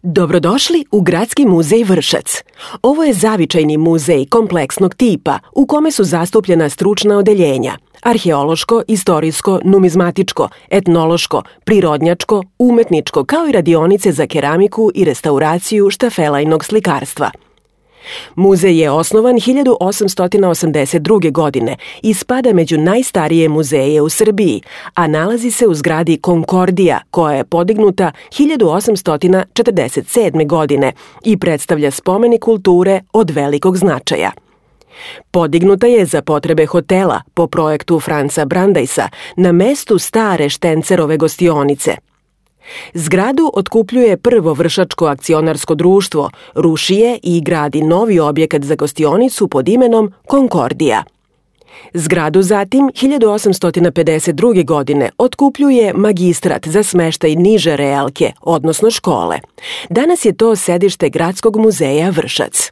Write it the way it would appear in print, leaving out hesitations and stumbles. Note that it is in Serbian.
Dobrodošli u Gradski muzej Vršac. Ovo je zavičajni muzej kompleksnog tipa u kome su zastupljena stručna odeljenja: arheološko, istorijsko, numizmatičko, etnološko, prirodnjačko, umetničko, kao i radionice za keramiku i restauraciju štafelajnog slikarstva. Muzej je osnovan 1882. godine i spada među najstarije muzeje u Srbiji, a nalazi se u zgradi Konkordija, koja je podignuta 1847. godine i predstavlja spomenik kulture od velikog značaja. Podignuta je za potrebe hotela po projektu Franca Brandajsa na mestu stare Štencerove gostionice. Zgradu otkupljuje prvo vršačko akcionarsko društvo, ruši je i gradi novi objekat za gostionicu pod imenom Konkordija. Zgradu zatim 1852. godine otkupljuje magistrat za smeštaj niže realke, odnosno škole. Danas je to sedište Gradskog muzeja Vršac.